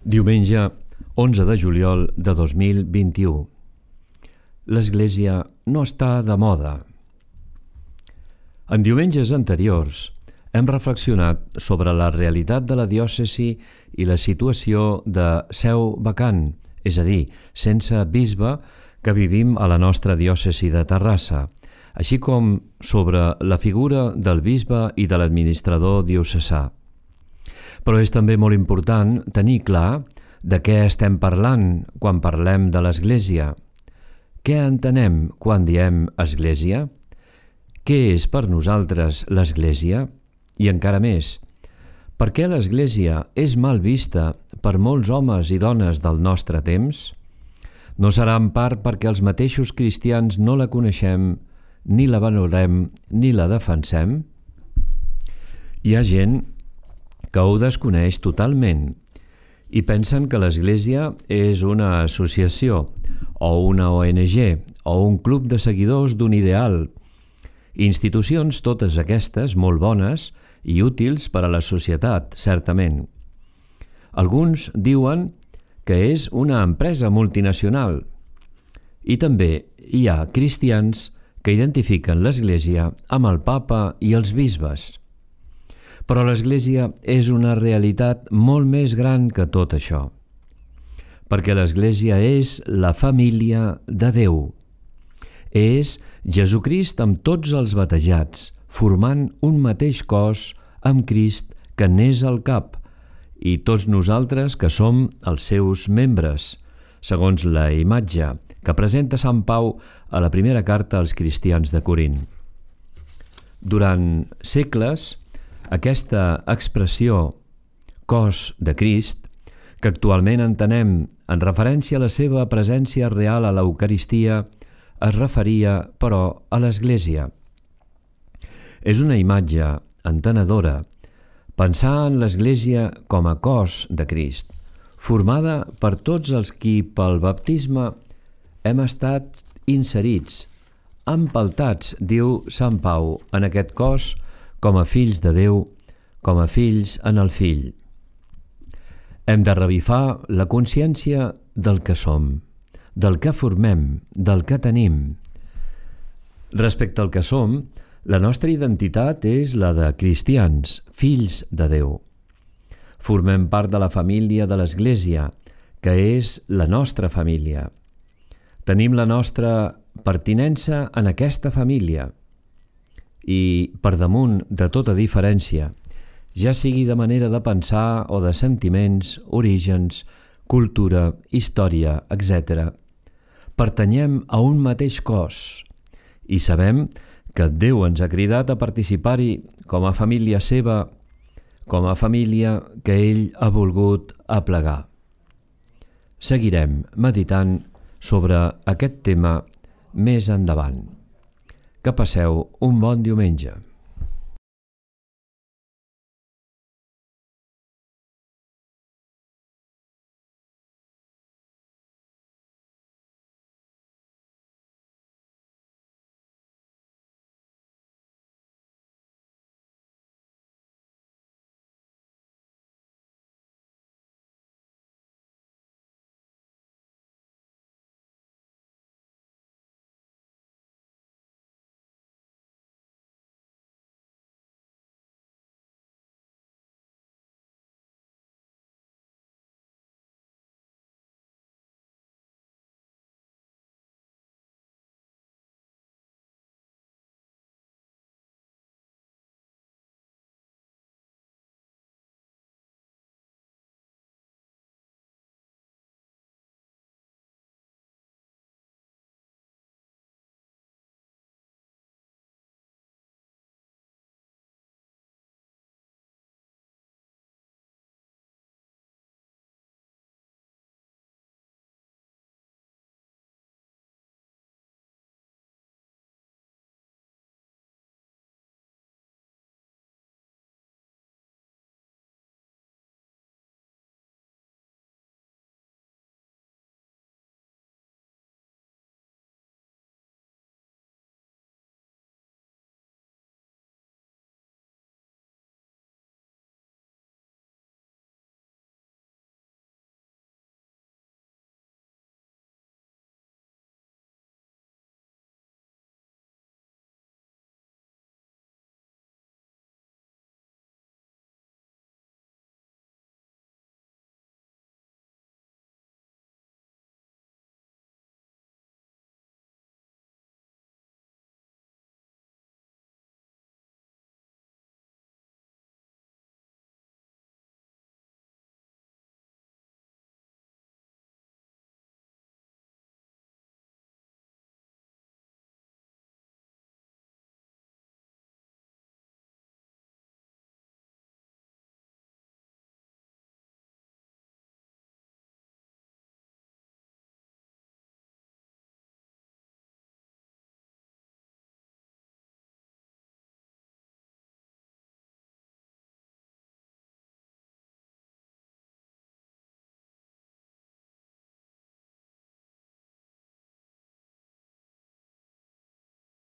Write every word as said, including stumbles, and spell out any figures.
Diumenge, onze de juliol de dos mil vint-i-u. L'Església no està de moda. En diumenges anteriors hem reflexionat sobre la realitat de la diòcesi i la situació de seu vacant, és a dir, sense bisbe, que vivim a la nostra diòcesi de Terrassa, així com sobre la figura del bisbe i de l'administrador diocesà. Però és també molt important tenir clar de què estem parlant quan parlem de l'Església. Què entenem quan diem Església? Què és per nosaltres l'Església? I encara més, per què l'Església és mal vista per molts homes i dones del nostre temps? No serà en part perquè els mateixos cristians no la coneixem, ni la valorem, ni la defensem? Hi ha gent que ho desconeix totalment i pensen que l'Església és una associació o una O N G o un club de seguidors d'un ideal. Institucions totes aquestes molt bones i útils per a la societat, certament. Alguns diuen que és una empresa multinacional i també hi ha cristians que identifiquen l'Església amb el Papa i els bisbes. Però l'Església és una realitat molt més gran que tot això, perquè l'Església és la família de Déu. És Jesucrist amb tots els batejats, formant un mateix cos amb Crist que n'és el cap, i tots nosaltres que som els seus membres, segons la imatge que presenta Sant Pau a la primera carta als cristians de Corint. Durant segles, aquesta expressió cos de Crist, que actualment entenem en referència a la seva presència real a l'Eucaristia, es referia, però, a l'Església. És una imatge entenedora pensar en l'Església com a cos de Crist, formada per tots els qui pel baptisme hem estat inserits, empaltats, diu Sant Pau, en aquest cos com a fills de Déu, com a fills en el Fill. Hem de revifar la consciència del que som, del que formem, del que tenim. Respecte al que som, la nostra identitat és la de cristians, fills de Déu. Formem part de la família de l'Església, que és la nostra família. Tenim la nostra pertinença en aquesta família i, per damunt de tota diferència, ja sigui de manera de pensar o de sentiments, orígens, cultura, història, etcètera, pertanyem a un mateix cos i sabem que Déu ens ha cridat a participar-hi com a família seva, com a família que ell ha volgut aplegar. Seguirem meditant sobre aquest tema més endavant. Que passeu un bon diumenge.